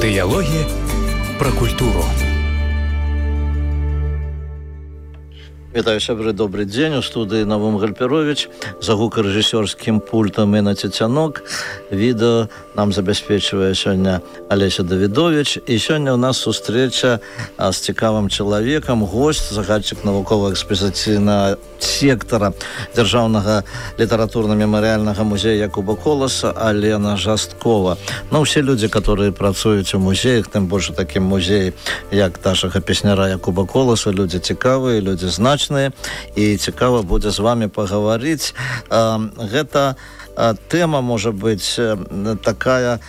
Дыялогі пра культуру. Вітаю, сябры, добрый дзень. У студыі Навум Гальперович, за гукарэжысёрскім пультам Інна Цецянок. Відэо нам забяспечвае сёння Алеся Давідович. І сёння у нас сустрэча з цікавым чалавекам, госць, загадчык навукова-экспазіцыйнага сектара Дзяржаўнага літаратурна-мемарыяльнага музея Якуба Коласа Алена Жасткова. Ну, все людзі, которые працуюць у музеях, тым больш у такім музеі, як нашага песняра Якуба Коласа, людзі цікавыя, людзі значныя, і цікава будзе з вами пагаварыць. Гэта тэма, можа быць, такая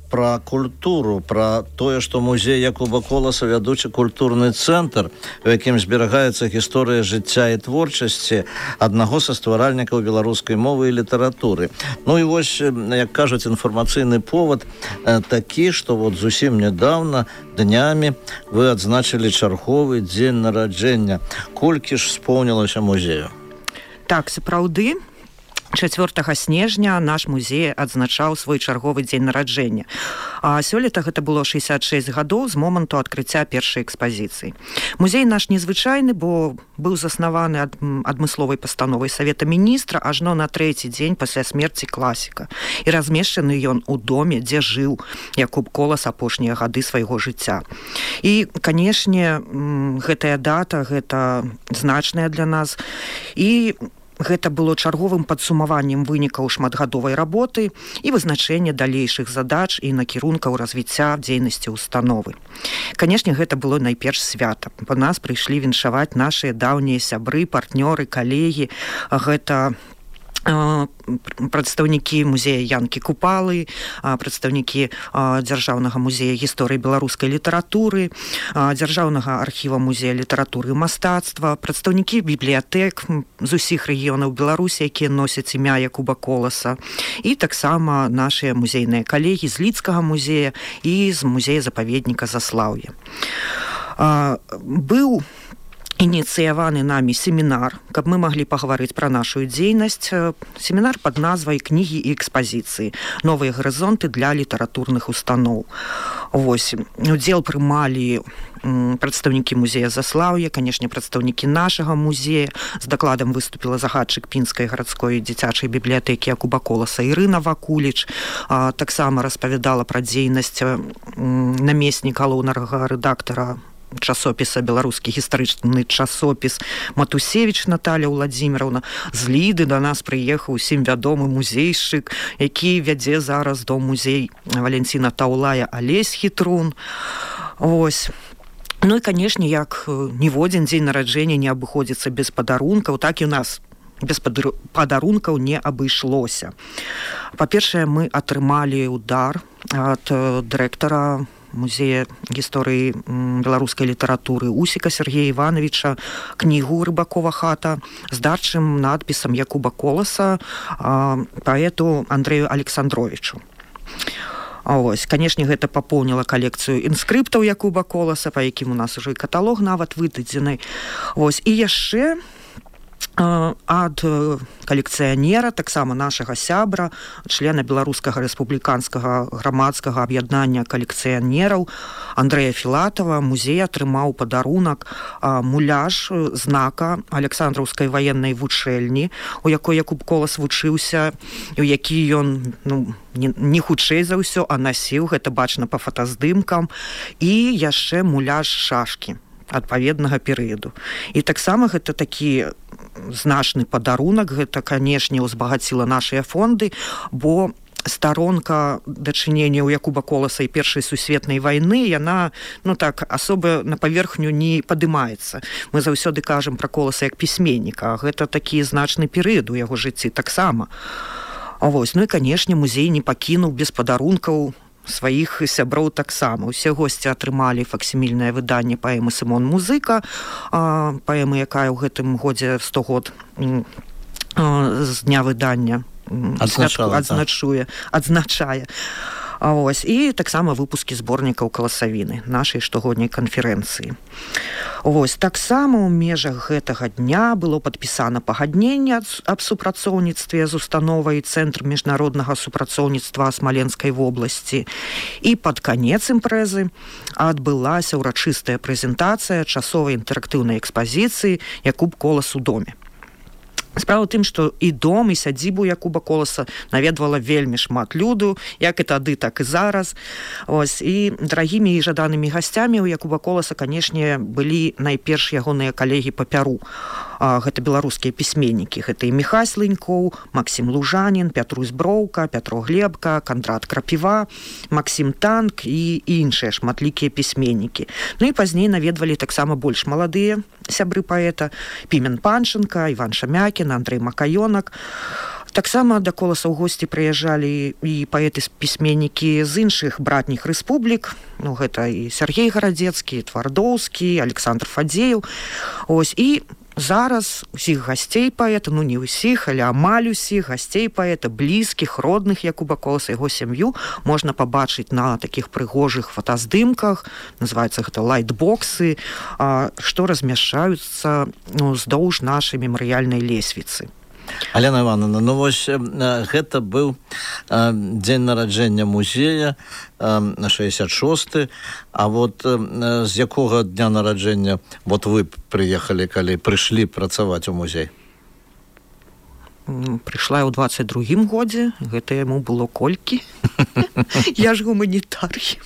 пра культуру, пра тое, што музей Якуба Коласа вядучы культурны цэнтр, у якім зберагаецца гісторыя жыцця і творчасці аднаго са стваральнікаў беларускай мовы і літаратуры. Ну і вось, як кажуць, інфармацыйны повод такі, што вот зусім нядаўна, днямі, вы адзначылі чарговы дзень нараджэння. Колькі ж споўнілася музею? Так, сапраўды. 4 снежня наш музей адзначаў свой чарговы дзень нараджэння. А сёлета гэта было 66 гадоў з моманту адкрыцця першай экспазіцыі. Музей наш незвычайны, бо быў заснаваны адмысловай пастановай Савета міністра ажно на 3-й дзень пасля смерці класіка. І размешчаны ён у доме, дзе жыў Якуб Колас апошнія гады свайго жыцця. І, канешне, гэтая дата, гэта значная для нас. І гэта было чарговым падсумаваннем вынікаў шматгадовай работы і вызначэння далейшых задач і накірункаў развіцця дзейнасці установы. Канешне, гэта было найперш свята. Па нас прыйшлі віншаваць нашыя даўнія сябры, партнёры, калегі. Гэта прадстаўнікі музея Янкі Купалы, прадстаўнікі Дзяржаўнага музея гісторыі беларускай літаратуры, Дзяржаўнага архіва музея літаратуры і мастацтва, прадстаўнікі бібліятэк з усіх рэгіёнаў Беларусі, якія носяць імя Якуба Коласа, і таксама нашыя музейныя калегі з Лідскага музея і з музея-запаведніка Заслаўе. Быў ініцыяваны намі семінар, каб мы маглі пагаварыць пра нашу дзейнасць. Семінар пад назвай «Кнігі і экспазіцыі. Новыя гарызонты для літаратурных устаноў». Вось. Удзел прымалі прадстаўнікі музея Заслаўя, канешне, прадстаўнікі нашага музея. З дакладам выступіла загадчык пінскай гарадской дзіцячай бібліятэкі Якуба Коласа Ірына Вакуліч. Таксама распавядала пра дзейнасць намеснік галоўнага рэдактара часопіса «Беларускі гістарычны часопіс» Матусевіч Наталя Владзіміровна. З Ліды да нас прыехаў усім вядомы музейшчык, які вядзе зараз дом-музей Валянціна Таўлая Алесь Хітрун. Вось. Ну і, канешне, як ніводзін дзень нараджэння не абыходзіцца без падарункаў, так і у нас без падарункаў не абышлося. Па-першае, мы атрымалі удар ад дырэктара музея гісторыі беларускай літаратуры Усіка Сергея Івановича кнігу «Рыбакова хата» з дарчым надпісам Якуба Коласа паэту Андрэю Александровичу. Ось, канешне, гэта папоўніла калекцыю інскрыптаў Якуба Коласа, па якім у нас ужо і каталог нават выдадзены. Ось, і яшчэ ад калекцыянера, таксама нашага сябра, члена Беларускага рэспубліканскага грамадскага аб'яднання калекцыянераў Андрэя Філатава, музей атрымаў падарунак муляж знака Александраўскай ваеннай вучэльні, у якой Якуб Колас вучыўся, у які ён не хутчэй за ўсё, а насіў, гэта бачна па фотаздымкам, і яшчэ муляж шашкі адпаведнага перыяду. І таксама гэта такі значны падарунак, гэта, канешне, узбагаціла нашыя фонды, бо старонка дачынення ў Якуба Коласа і Першай сусветнай вайны, яна, так, асоба на паверхню не падымаецца. Мы заўсёды кажам пра Коласа як пісьменніка, а гэта такі значны перыяд у яго жыцці таксама. Вось, ну і, канешне, музей не пакінуў без падарункаў сваіх сяброў таксама. Усе госці атрымалі факсімільнае выданне паэмы «Сымон Музыка», паэмы, якая ў гэтым годзе 100 год з дня выдання адзначае. Вось, і таксама выпускі зборнікаў каласавіны нашай штогодняй канферэнцыі. Вось, таксама ў межах гэтага дня было падпісана пагадненне аб супрацоўніцтве з установай Цэнтр міжнароднага супрацоўніцтва Смаленскай вобласці. І пад канец імпрэзы адбылася ўрачыстая прэзентацыя часовай інтэрактыўнай экспазіцыі «Якуб Колас у доме». Справа ў тым, што і дом, і сядзібу Якуба Коласа наведвала вельмі шмат люду, як і тады, так і зараз. Ось, і дарагімі і жаданымі гасцямі ў Якуба Коласа, канешне, былі найперш ягоныя калегі па Пяру. Гэта беларускія пісьменнікі. Гэта і Міхась Лынькоў, Максім Лужанін, Пятрусь Броўка, Пятро Глебка, Кандрат Крапіва, Максім Танк і іншыя шматлікія пісьменнікі. Ну і пазней наведвалі таксама больш маладыя сябры паэта: Пімен Панченка, Іван Шамякін, Андрэй Макаёнак. Таксама да Коласа ў госці прыязджалі і паэты-пісьменнікі з іншых братніх рэспублік. Ну, гэта і Сергей Гарадзецкі, Твардоўскі, Александр Фадзеев. Ось, і зараз усіх гасцей паэта, ну не ўсіх, але амаль усіх гасцей паэта, блізкіх, родных Якуба Коласа, яго сям'ю можна пабачыць на такіх прыгожых фотаздымках, называецца гэта лайтбоксы, што размяшчаюцца ўздоўж нашай мемарыяльнай лесвіцы. Алена Івановна, ну вось гэта быў дзень нараджэння музея, 66-й, а вот з якога дня нараджэння вот вы прыехалі, калі прыйшлі працаваць у музей? Прыйшла ў 22-м годзе, гэта яму было колькі? Я ж гуманітарый.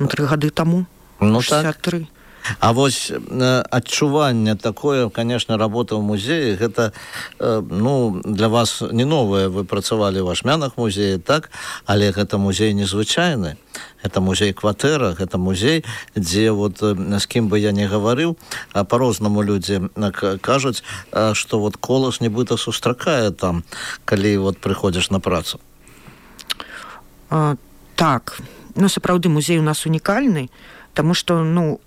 3 гады таму, 63. А вось адчуванне такое, конечно, работа ў музеі, гэта, ну, для вас не новае, вы працавалі ў Ашмянах музеі, так, але гэта музей незвычайны, гэта музей-кватэра, гэта музей, дзе вот з кім бы я не гаварыў, по-рознаму людзі кажуць, што вот Колас нібыта сустракае там, калі вот прыходзіш на працу. Так, ну, сапраўды, музей у нас унікальны, таму што, ну,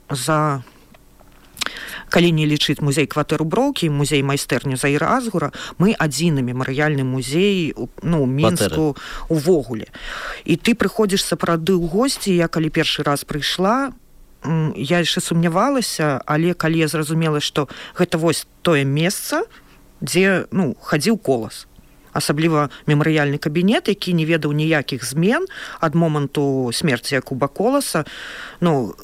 калі не лічыць музей-кватэру Броўкі, музей майстэрню Заіра Азгура, мы адзіны мемарыяльны музей, ну, Мінску увогуле. І ты прыходзіш сапраўды ў госці, я калі першы раз прыйшла, я яшчэ сумнявалася, але калі я зразумела, што гэта вось тое месца, дзе, ну, хадзіў Колас. Асабліва мемарыяльны кабінет, які не ведаў ніякіх змен ад моманту смерці Якуба Коласа, ну,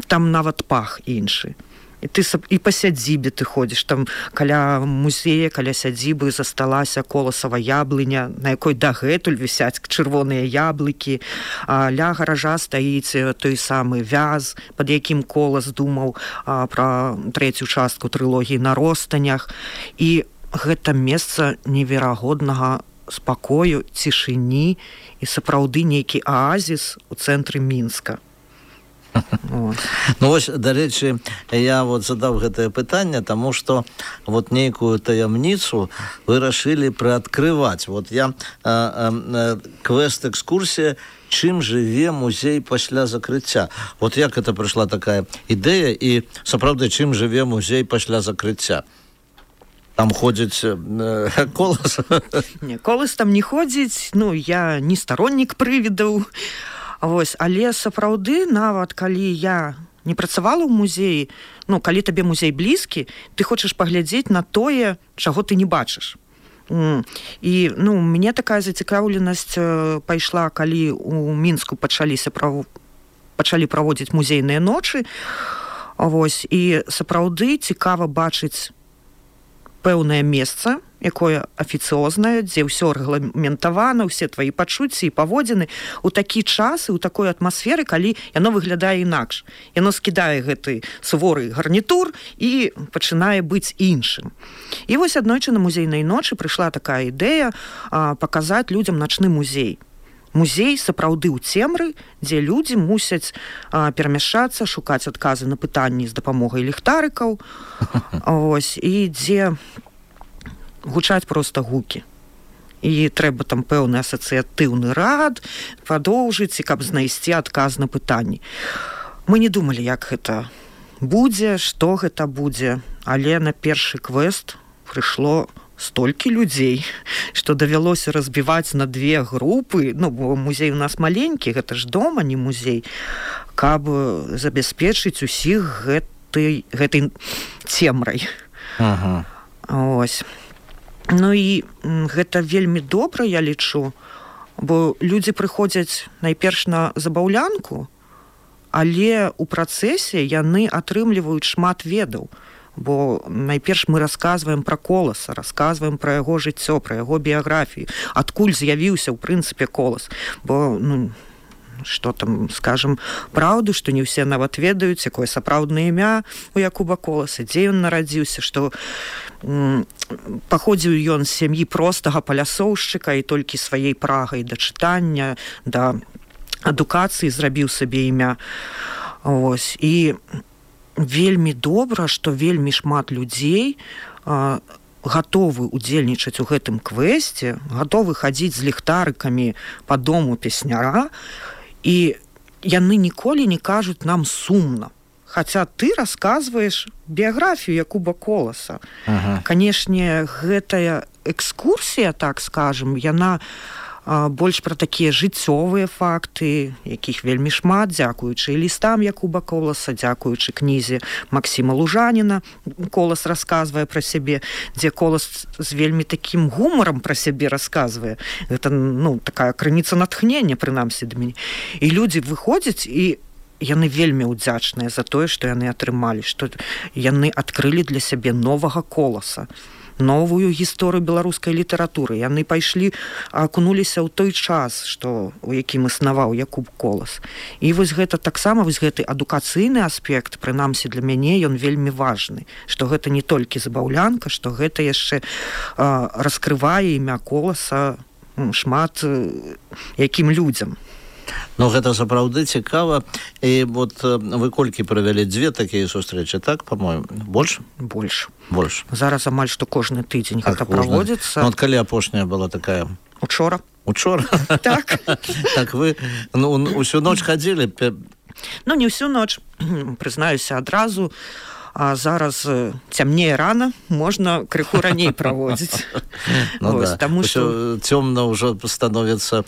там нават пах іншы. І ты і па сядзібе ты ходзіш, там каля музея, каля сядзібы засталася коласава яблыня, на якой дагэтуль вісяць чырвоныя яблыкі, а ля гаража стаіць той самы вяз, пад якім Колас думаў пра 3-ю частку трылогіі «На ростанях». І гэта месца неверагоднага спакою, цішыні і сапраўды нейкі аазіс у цэнтры Мінска. Ну вось, дарэчы, я вот задаў гэтае пытанне, таму што вот нейкую таямніцу вы рашылі прыадкрываць. Вот я квест-экскурсія «Чым жыве музей пасля закрыцця». Вот як гэта прыйшла такая ідэя і сапраўды, чым жыве музей пасля закрыцця? Там ходзіць Колас? Не, Колас там не ходзіць, ну, я не староннік прывідаў. Вось, але сапраўды, нават калі я не працавала ў музеі, ну, калі табе музей блізкі, ты хочаш паглядзець на тое, чаго ты не бачыш. І, ну, мне такая зацікаўленасць пайшла, калі у Мінску пачалі праводзіць музейныя ночы. Вось, і сапраўды цікава бачыць пэўнае месца, якое афіцыознае, дзе ўсё рэгламентавана, ўсе твае пачуцці і паводзіны ў такі час і ў такой атмасферы, калі яно выглядае інакш. Яно скідае гэты суворы гарнітур і пачынае быць іншым. І вось аднойчы на музейнай ночы прыйшла такая ідэя паказаць людзям начны музей. Музей сапраўды ў цемры, дзе людзі мусяць перамяшчацца, шукаць адказы на пытанні з дапамогай ліхтарыкаў, ось, і дзе гучаць проста гукі. І трэба там пэўны асацыятыўны рад падоўжыць, і каб знайсці адказ на пытанні. Мы не думалі, як гэта будзе, што гэта будзе, але на першы квест прыйшло столькі людзей, што давялося разбіваць на две групы, ну, бо музей у нас маленькі, гэта ж дом, а не музей, каб забяспечыць усіх гэтай цемрай. Ага. Ось. Ну і гэта вельмі добра, я лічу, бо людзі прыходзяць найперш на забаўлянку, але ў працэсе яны атрымліваюць шмат ведаў. Бо найперш мы расказваем пра Коласа, расказваем пра яго жыццё, пра яго біяграфію, адкуль з'явіўся ў прынцыпе Колас. Бо, ну, што там, скажам, праўду, што не ўсе нават ведаюць, якое сапраўднае імя у Якуба Коласа, дзе ён нарадзіўся, што паходзіў ён з сям'і простага палясоўшчыка і толькі сваёй прагай да чытання, да адукацыі зрабіў сабе імя. Ось. І вельмі добра, што вельмі шмат людзей гатовы удзельнічаць у гэтым квесце, гатовы хадзіць з ліхтарыкамі па дому песняра, і яны ніколі не кажуць нам сумна. Хаця ты расказваеш біяграфію Якуба Коласа. Ага. Канешне, гэтая экскурсія, так скажам, яна больш пра такія жыццёвыя факты, якіх вельмі шмат, дзякуючы лістам Якуба Коласа, дзякуючы кнізе Максіма Лужаніна. Колас расказвае пра сябе, дзе Колас з вельмі такім гумарам пра сябе расказвае. Гэта, ну, такая крыніца натхнення, прынамсі, да мяне. І людзі выходзяць, і яны вельмі ўдзячныя за тое, што яны атрымалі, што яны адкрылі для сябе новага Коласа, новую гісторыю беларускай літаратуры. Яны пайшлі, акунуліся ў той час, што, у якім існаваў Якуб Колас. І вось гэта таксама, вось гэты адукацыйны аспект, прынамсі для мяне, ён вельмі важны, што гэта не толькі забаўлянка, што гэта яшчэ раскрывае імя Коласа шмат якім людзям. Ну, гэта сапраўды цікава. І вот вы колькі правялі? Дзве такія сустрэчы, так, па-моему? Больш? Больш. Зараз амаль што кожны тыдзень гэта праводзіцца. Ну, от калі апошняя была такая? Учора. Так. Так вы, ну, усю ноч хадзілі? Ну, не ўсю ноч, прызнаюся адразу. А зараз цямнее рана, можна крыху раней праводзіць. Ну да, ўсё цёмна ўжо становіцца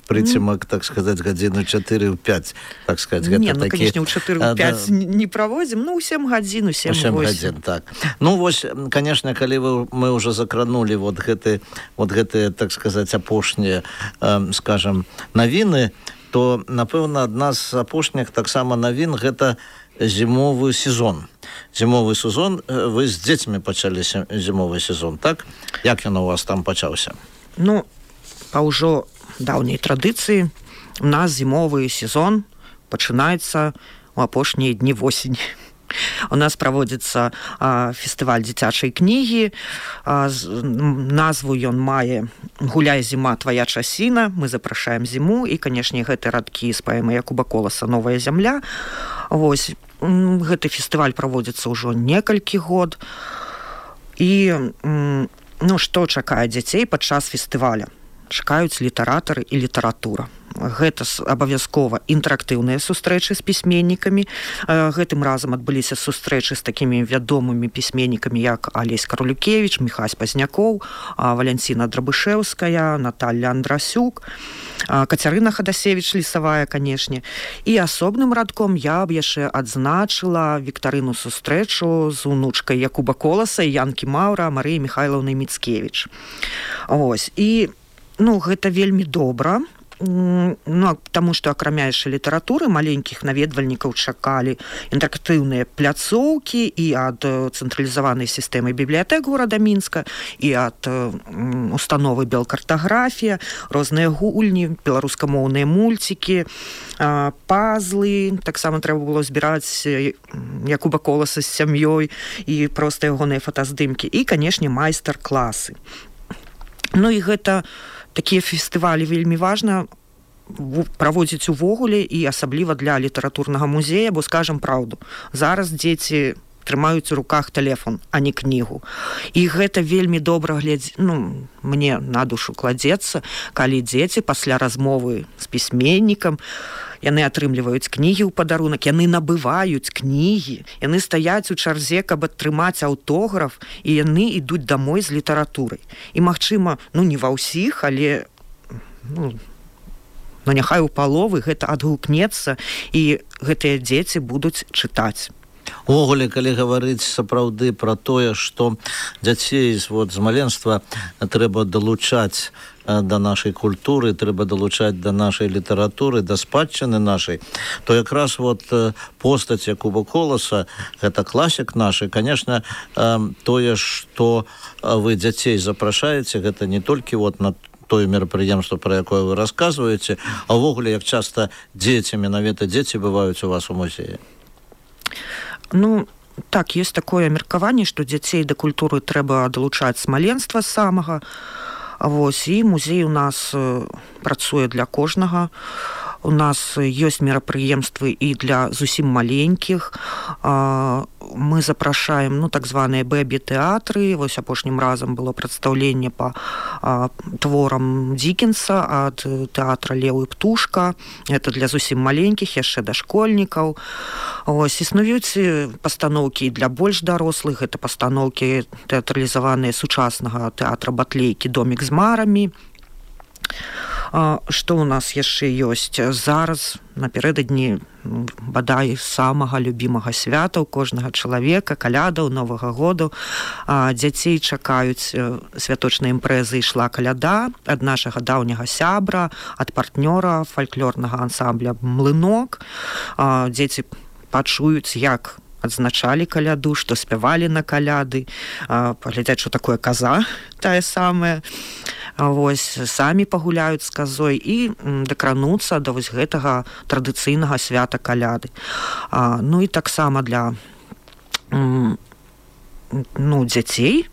прыцемак, так сказаць, гадзіну 4-5, так сказаць. Не, ну, конечно, ў 4-5 не праводзім, ну, у 7 гадзін, у 7 гадзін, так. Ну, вось, конечно, калі мы ўжо закранулі вот гэтыя, так сказаць, апошнія, скажам, навіны, то, напэўна, адна з апошніх таксама навін гэта зімовы сезон. Зімовы сезон, вы з дзецьмі пачалі зімовы сезон, так? Як ён у вас там пачаўся? Ну, па ўжо даўняй традыцыі у нас зімовы сезон пачынаецца ў апошнія дні восені. У нас праводзіцца фестываль дзіцячай кнігі, назву ён мае «Гуляй, зіма, твая часіна». Мы запрашаем зіму, і, канешне, гэты радкі з паэмы Якуба Коласа «Новая зямля». Вось, гэты фестываль праводзіцца ўжо некалькі год. І, ну, што чакае дзяцей падчас фестываля? Чакаюць літаратары і літаратура. Гэта абавязкова інтэрактыўныя сустрэчы з пісьменнікамі. Гэтым разам адбыліся сустрэчы з такімі вядомымі пісьменнікамі, як Алесь Карулюкевіч, Міхась Пазнякоў, Валянціна Драбышэўская, Наталля Андрасюк, Кацярына Хадасевіч Лісавая, канешне. І асобным радком я б яшчэ адзначыла віктарыну сустрэчу з унучкай Якуба Коласа і Янкі Маўра Марыі Міхайлаўнай Міцкевіч. Ось. І, ну, гэта вельмі добра. Ну, таму што акрамя яшчэ літаратуры маленькіх наведвальнікаў чакалі інтэрактыўныя пляцоўкі і ад цэнтралізаванай сістэмы бібліятэк горада Мінска, і ад установы Белкартаграфія, розныя гульні, беларускамоўныя мульцікі, пазлы. Таксама трэба было збіраць Якуба Коласа з сям'ёй і проста ягоныя фотаздымкі. І, канешне, майстар-класы. Ну і гэта такія фестывалі вельмі важна праводзіць увогуле і асабліва для літаратурнага музея, бо, скажам праўду, зараз дзеці трымаюць у руках тэлефон, а не кнігу. І гэта вельмі добра мне на душу кладзецца, калі дзеці пасля размовы з пісьменнікам яны атрымліваюць кнігі ў падарунак, яны набываюць кнігі, яны стаяць у чарзе, каб атрымаць аўтограф, і яны ідуць дамой з літаратурай. І, магчыма, не ва ўсіх, але няхай у паловы гэта адгукнецца, і гэтыя дзеці будуць чытаць. Увогуле, калі гаварыць сапраўды пра тое, што дзяцей з маленства трэба далучаць да нашай культуры, трэба далучаць да нашай літаратуры, да спадчыны нашай, то якраз постаць Якуба Коласа, гэта класік нашы, конечно, тое, што вы дзяцей запрашаеце, гэта не толькі на тое мерапрыемства, пра якое вы расказваеце, а ўвогуле, як часта дзеці, менавіта дзеці бываюць у вас у музеі? Так, есть такое меркаванне, што дзяцей да культуры трэба далучаць з маленства самага. І музей у нас працуе для кожнага. У нас ёсць мерапрыемствы і для зусім маленькіх. Мы запрашаем так званыя бэбі-тэатры. Апошнім разам было прадстаўленне па творам Дікенса ад тэатра «Леў і птушка». Гэта для зусім маленькіх, яшчэ дашкольнікаў. Існуюць пастаноўкі для больш дарослых. Гэта пастаноўкі тэатралізаваныя сучаснага тэатра Батлейкі «Домік з марамі». Што ў нас яшчэ ёсць? Зараз напярэдадні бадай самага любімага свята ў кожнага чалавека, калядаў, Новага году. Дзяцей чакаюць святочныя імпрэзы «Ішла каляда» ад нашага даўняга сябра, ад партнёра фальклорнага ансамбля «Млынок». Дзеці пачуюць, як адзначалі каляду, што спявалі на каляды, паглядзяць, што такое каза, тая самая. Самі пагуляюць з казой і дакрануцца да гэтага традыцыйнага свята каляды. І таксама для дзяцей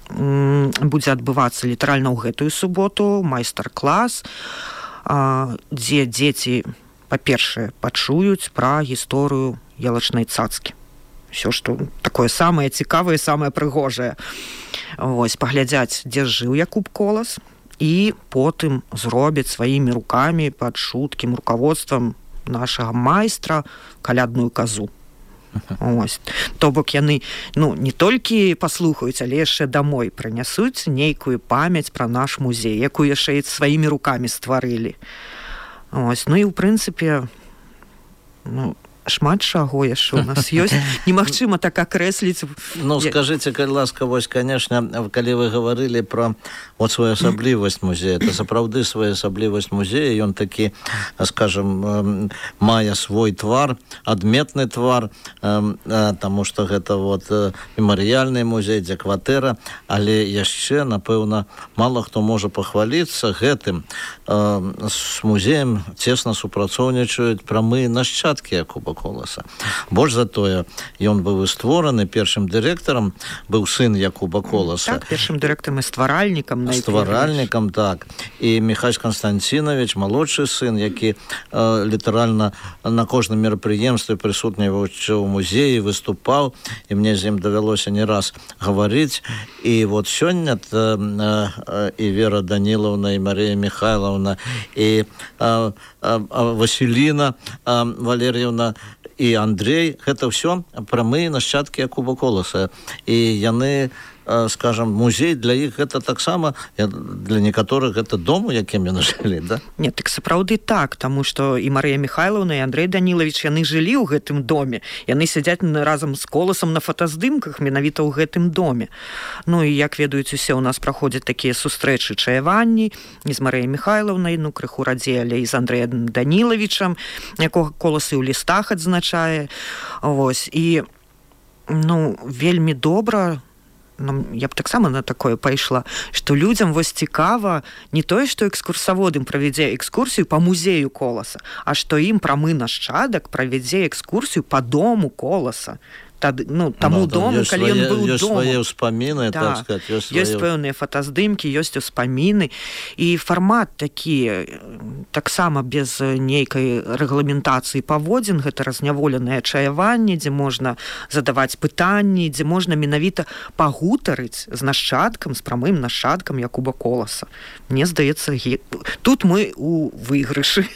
будзе адбывацца літаральна ў гэтую суботу майстар-клас, дзе дзеці, па-першае, пачуюць пра гісторыю ялачнай цацкі. Все, што такое самае цікавае, самае прыгожае. Паглядзяць, дзе жыў Якуб Колас, і потым зробяць сваімі рукамі пад чуткім руководствам нашага майстра калядную казу. То бок яны не толькі паслухаюць, але яшчэ дамой прынясуць нейкую памяць пра наш музей, якую яшчэ і сваімі рукамі стварылі. І ў прынцыпе шмат чаго яшчэ у нас ёсць. Немагчыма так акрэсліць. Скажыце, калі ласка, конечно, калі вы гаварылі пра своеасаблівасць музея, это сапраўды своеасаблівасць музея, ён такі, скажем, мае свой твар, адметны твар, таму што гэта мемарыяльны музей, дзе кватэра, але яшчэ, напэўна, мала хто можа пахваліцца гэтым. З музеем цесна супрацоўнічаюць прамыя нашчадкі Якуба Коласа. Больш за тое, ён быў створаны першым дырэктарам, быў сын Якуба Коласа. Так, першым дырэктарам і стваральнікам. Стваральнікам, так. І Міхась Канстанцінович, малодшы сын, які літаральна на кожным мерапрыемстве прысутнічаў у музеі, выступаў, і мне з ім давялося не раз гаварыць. І сёння і Вера Данілаўна, і Марія Михайловна, і Васіліна Валер'евна, і Андрей, гэта ўсё прамыя нашчадкі Якуба Коласа. І яны, скажем, музей для іх гэта таксама, для некаторых гэта дом, у якім яны жылі, да? Не, так сапраўды так, таму што і Марыя Михайловна, і Андрей Данілавіч, яны жылі ў гэтым доме. Яны сядзяць разам з Коласам на фотаздымках менавіта ў гэтым доме. І як ведаюць усе, у нас праходзяць такія сустрэчы, чаяванні і з Марыяй Михайловнай, крыху радзей, але і з Андрэем Данілавічам, якога Колас і ў лістах адзначае. І вельмі добра, я б таксама на такое пайшла, што людзям цікава не тое, што экскурсавод ім правядзе экскурсію па музею Коласа, а што ім прамы нашчадак правядзе экскурсію па дому Коласа. таму дому, калі ён быў ёсць домам. свае ўспаміны, так сказать, ёсць пэўныя фотаздымкі, ёсць успаміны, і фармат такі, таксама без нейкай рэгламентацыі паводзін, гэта разняволенае чаяванне, дзе можна задаваць пытанні, дзе можна менавіта пагутарыць з нашчадкам, з прамым нашчадкам Якуба Коласа. Мне здаецца, тут мы у выйгрышы.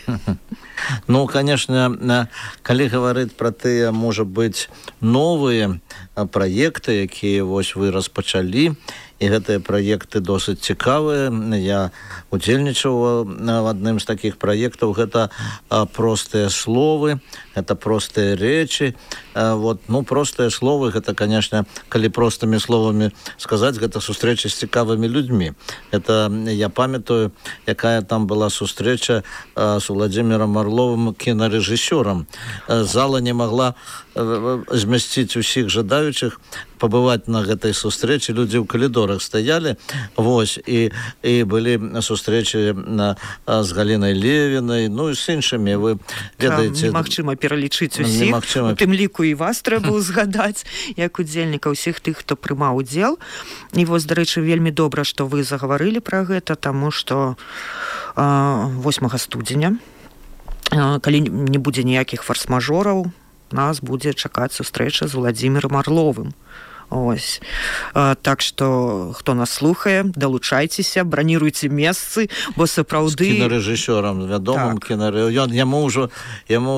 Ну, конечно, калі гаварыць пра тыя, можа быць, новыя праекты, якія вось вы распачалі, і гэтыя праекты досыць цікавыя. Я удзельнічаў в адным з такіх праектаў. Гэта простыя словы, гэта простыя рэчы. Простыя словы, гэта, конечно, калі простымі словамі сказаць, гэта сустрэча з цікавымі людзьмі. Это я памятаю, якая там была сустрэча з Владимиром Орловым, кінарэжысёрам. Зала не могла змясціць усіх жадаючых пабываць на гэтай сустрэчы. Людзі ў калідорах стаялі, і былі сустрэчы з Галінай Левінай, і з іншымі. Вы ведаеце, немагчыма пералічыць усіх, у тым ліку і вас трэба ўзгадаць як удзельніка, ўсіх тых, хто прымаў удзел. І вось, дарэчы, вельмі добра, што вы загаварылі пра гэта, таму што 8 студзеня, калі не будзе ніякіх форс-мажораў, нас будзе чакаць сустрэча з Владимиром Орловым. Так што, хто нас слухае, далучайцеся, браніруйце месцы, бо сапраўды... З кінарэжысёрам, вядомым кінарэжысёрам. Яму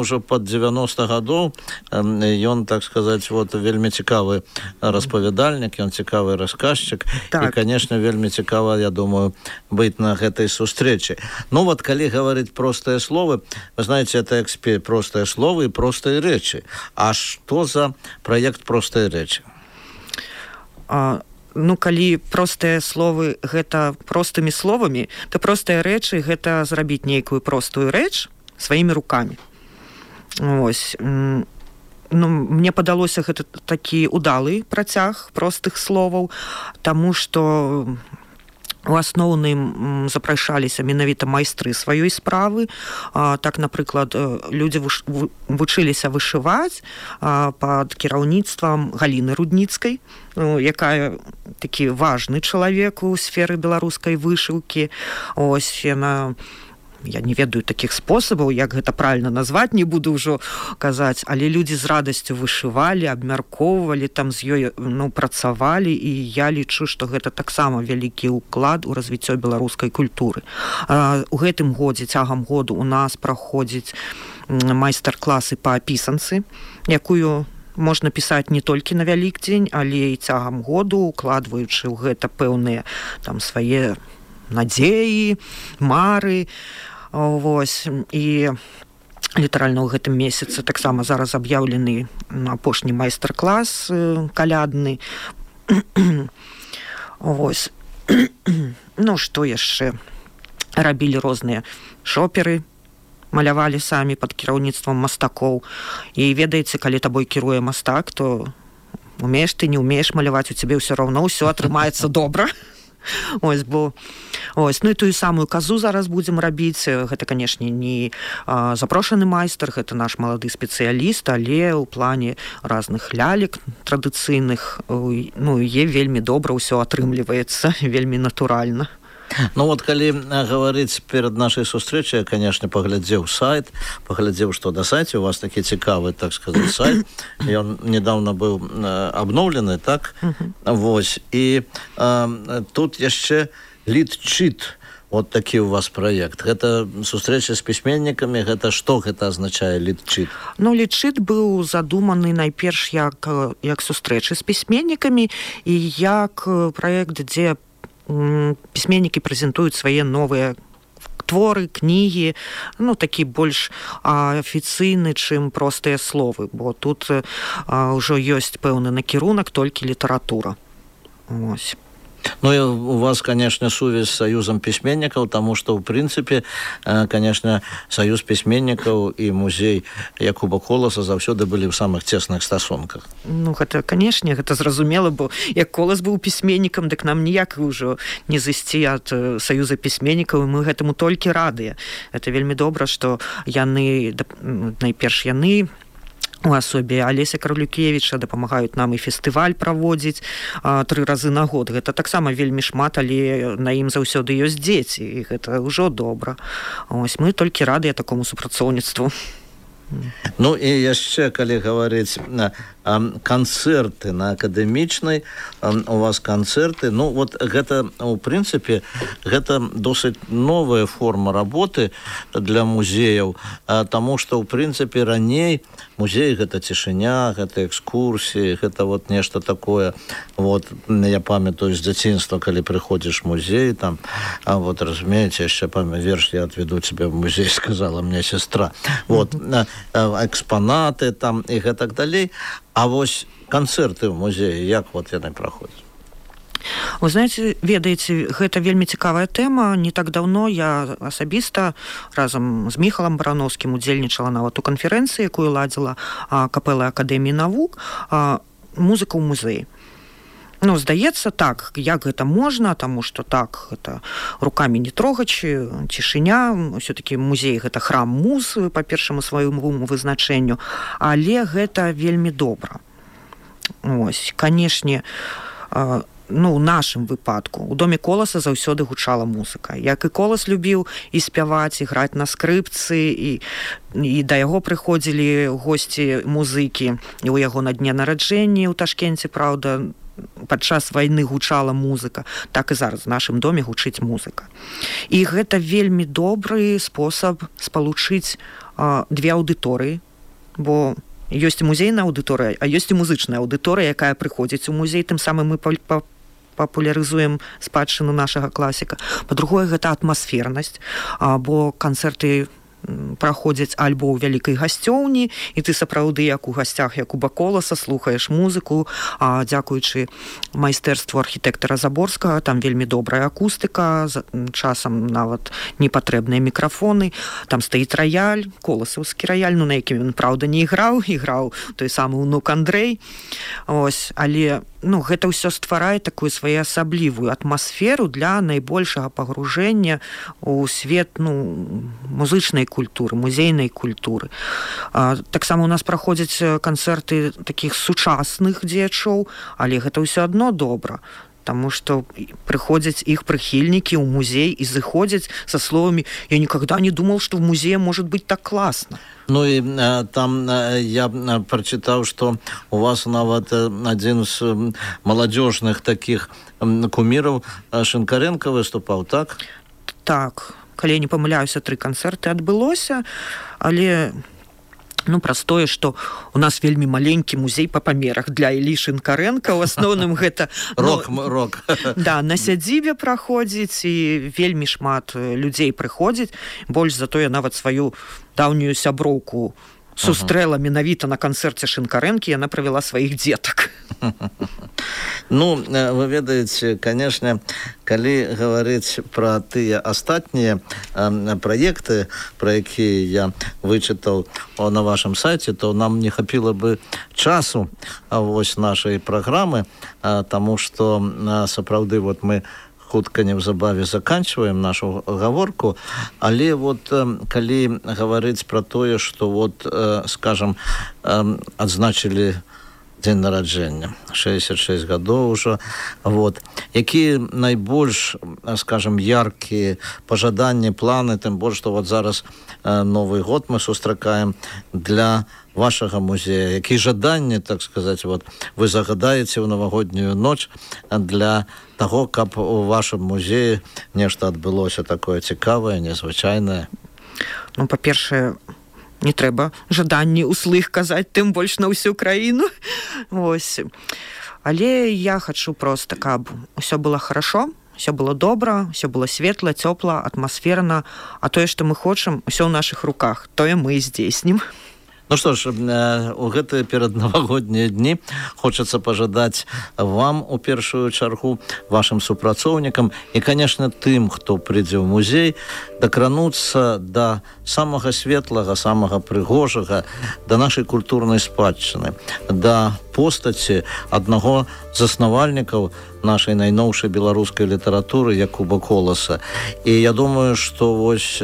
ўжо пад 90 гадоў. Ён, так сказаць, вельмі цікавы распавядальнік, ён цікавы расказчык. І, конечно, вельмі цікава, я думаю, быць на гэтай сустрэчы. Калі гаварыць простыя словы, вы знаете, это простыя словы і простыя рэчы. А што за праект простыя рэчы? Калі простыя словы гэта простымі словамі, то простыя рэчы гэта зрабіць нейкую простую рэч сваімі рукамі. Мне падалося, гэта такі удалы працяг простых словаў, таму што у асноўным запрашаліся менавіта майстры сваёй справы. Так, напрыклад, людзі вучыліся вышываць пад кіраўніцтвам Галіны Рудніцкай, якая такі важны чалавек у сферы беларускай вышыўкі. Яна... Я не ведаю такіх спосабаў, як гэта правільна назваць, не буду ўжо казаць, але людзі з радасцю вышывалі, абмяркоўвалі, там з ёй працавалі, і я лічу, што гэта таксама вялікі ўклад у развіццё беларускай культуры. У гэтым годзе, цягам году, у нас праходзіць майстар-класы па пісанцы, якую можна пісаць не толькі на Вялікдзень, але і цягам году, укладваючы ў гэта пэўныя там свае надзеі, мары. І літаральна ў гэтым месяцы таксама зараз аб'яўлены апошні майстар-клас калядны. Што яшчэ? Рабілі розныя шоперы, малявалі самі пад кіраўніцтвам мастакоў. І ведаеце, калі табой кіруе мастак, то умееш ты, не умееш маляваць, у цябе ўсё роўно ўсё атрымаецца добра. І тую самую казу зараз будзем рабіць. Гэта, канешне, не запрошаны майстар, гэта наш малады спецыяліст, але ў плане разных лялек традыцыйных вельмі добра ўсё атрымліваецца, вельмі натуральна. Калі гаварыць перад нашай сустрэчай, я, конечно, паглядзеў сайт, паглядзеў, што на сайце у вас такі цікавы, так сказаць, сайт. Ён недавно быў абноўлены, так? І тут яшчэ літчыт. Такі у вас праект. Гэта сустрэча з пісьменнікамі, гэта што гэта азначае літчыт? Літчыт быў задуманы найперш як сустрэчы з пісьменнікамі і як праект, дзе пісьменнікі прэзентуюць свае новыя творы, кнігі, такі больш афіцыйны, чым простыя словы, бо тут ўжо ёсць пэўны накірунак толькі літаратура. У вас, конечно, сувязь с Союзом письменников, потому что, в принципе, конечно, Союз письменников и музей Якуба Коласа заўсёды былі ў самых цесных стасунках. Гэта, конечно, гэта зразумела, бо як Колас быў пісьменнікам, дык нам ніяк ўжо не зайсці ад Союза пісьменнікаў, і мы гэтаму толькі радыя. Это вельмі добра, што найперш яны у асобе Алеся Кравлюкевіча, дапамагаюць нам і фестываль праводзіць 3 разы на год. Гэта таксама вельмі шмат, але на ім заўсёды ёсць дзеці, і гэта ўжо добра. Ось, мы толькі радыя такому супрацоўніцтву. Ну і яшчэ, калі гаварыць канцэрты на акадэмічнай, у вас канцэрты, ну вот гэта, у прынцыпе, гэта досыць новая форма работы для музеяў, таму што, у прынцыпе, раней музей гэта цішыня, гэта экскурсіі, гэта вот нешта такое. Вот, я памятаю з дзяцінства, калі прыходзіш в музей, там, вот, разумееце, яшчэ верш «Я отведу тебя в музей», сказала мне сестра. Вот, экспанаты там і гэтак далей. А вось канцэрты ў музеі, як вот яны праходзяць? Вы знаеце, ведаеце, гэта вельмі цікавая тэма. Не так даўно я асабіста разам з Міхалам Барановскім удзельнічала нават у канферэнцыі, якую ладзіла капэла Акадэміі навук, музыка ў музеі. Ну, здаецца, так, як гэта можна, таму што так, гэта рукамі не трогаць, цішыня, ўсё-такі музей гэта храм муз па першаму свайму вызначэнню, але гэта вельмі добра. Ось, канешне, ну, у нашым выпадку у доме Коласа заўсёды гучала музыка. Як і Колас любіў і спяваць, і граць на скрыпцы, і да яго прыходзілі госці музыкі, і ў яго на дне нараджэння ў Ташкенце, праўда, падчас вайны гучала музыка, так і зараз в нашым доме гучыць музыка. І гэта вельмі добры спосаб спалучыць две аўдыторыі, бо ёсць і музейная аўдыторыя, а ёсць і музычная аўдыторыя, якая прыходзіць у музей, тым самым мы папулярызуем спадчыну нашага класіка. Па-другое, гэта атмасфернасць, бо канцэрты праходзяць альбо ў вялікай гасцёўні, і ты сапраўды як у гасцях, як у Коласа, слухаеш музыку, дзякуючы майстэрству архітэктара Заборскага, там вельмі добрая акустыка, часам нават непатрэбныя мікрафоны, там стаіць раяль, коласаўскі раяль, ну на якім ён, праўда, не іграў той самы ўнук Андрэй. Ось, але ну, гэта ўсё стварае такую своеасаблівую атмасферу для найбольшага пагружэння ў свет, ну, музычнай культуры, музейнай культуры. Таксама у нас праходзяць канцэрты такіх сучасных дзеячоў, але гэта ўсё адно добра, таму што прыходзяць іх прыхільнікі ў музей і зыходзяць са словамі «Я никогда не думал, что в музее может быть так классно». Ну і там я прачытаў, што у вас нават адзін з маладзёжных такіх куміраў Шинкаренко выступаў, так? Так, калі я не памыляюся, 3 канцэрты адбылося, але ну, простое, што у нас вельмі маленькі музей па памерах для Іллі Шинкаренка. У асноўным гэта рок. Да, на сядзібе праходзіць, і вельмі шмат людзей прыходзіць. Больш за то я нават сваю даўнюю сяброўку сустрэла менавіта на канцэрце Шинкарэнкі, яна правяла сваіх дзетак. Ну, вы ведаеце, конечно, калі гаварыць пра тыя астатнія праекты, пра якія я вычытаў на вашым сайце, то нам не хапіла бы часу вось нашай праграмы, таму што сапраўды вот мы хутка неўзабаве заканчиваем нашу гаворку, але вот калі гаварыць пра тое, што вот, скажем, адзначылі дзень нараджэння, 66 гадоў ужо, вот, якія найбольш, скажем, яркія пажаданні, планы, тым больш, што вот зараз Новы год мы сустракаем для вашага музея, якія жаданні, так сказаць, вот, вы загадаеце ў навагоднюю ноч для таго, каб у вашым музеі нешта адбылося такое цікавае, незвычайнае? Ну, па-першае, не трэба жаданні услых казаць, тым больш на ўсю краіну. Ось. Але я хачу проста, каб усё было хорошо, усё было добра, усё было светла, цёпла, атмасферна, а тое, што мы хочам, усё ў нашых руках, тое мы і здзейснім. Ну што ж, у гэтыя пераднавагоднія дні хочацца пажадаць вам у першую чаргу, вашым супрацоўнікам і, конечно, тым, хто прыйдзе ў музей, дакрануцца да самага светлага, самага прыгожага, да нашай культурнай спадчыны, да постаці аднаго з заснавальнікаў нашай найноўшай беларускай літаратуры Якуба Коласа. І я думаю, што вось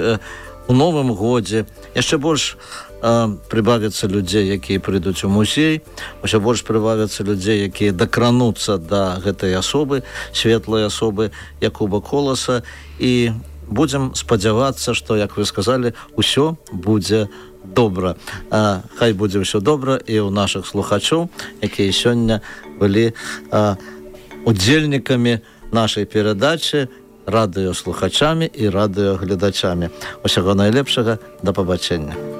у новым годзе яшчэ больш прыбавіцца людзей, якія прыйдуць у музей, ўсё больш прыбавіцца людзей, якія дакрануцца да гэтай асобы, светлай асобы Якуба Коласа, і будзем спадзявацца, што, як вы сказалі, усё будзе добра. Хай будзе ўсё добра і ў нашых слухачоў, якія сёння былі удзельнікамі нашай перадачы, радыёслухачамі і радыёгледачамі. Усяго найлепшага, да пабачэння.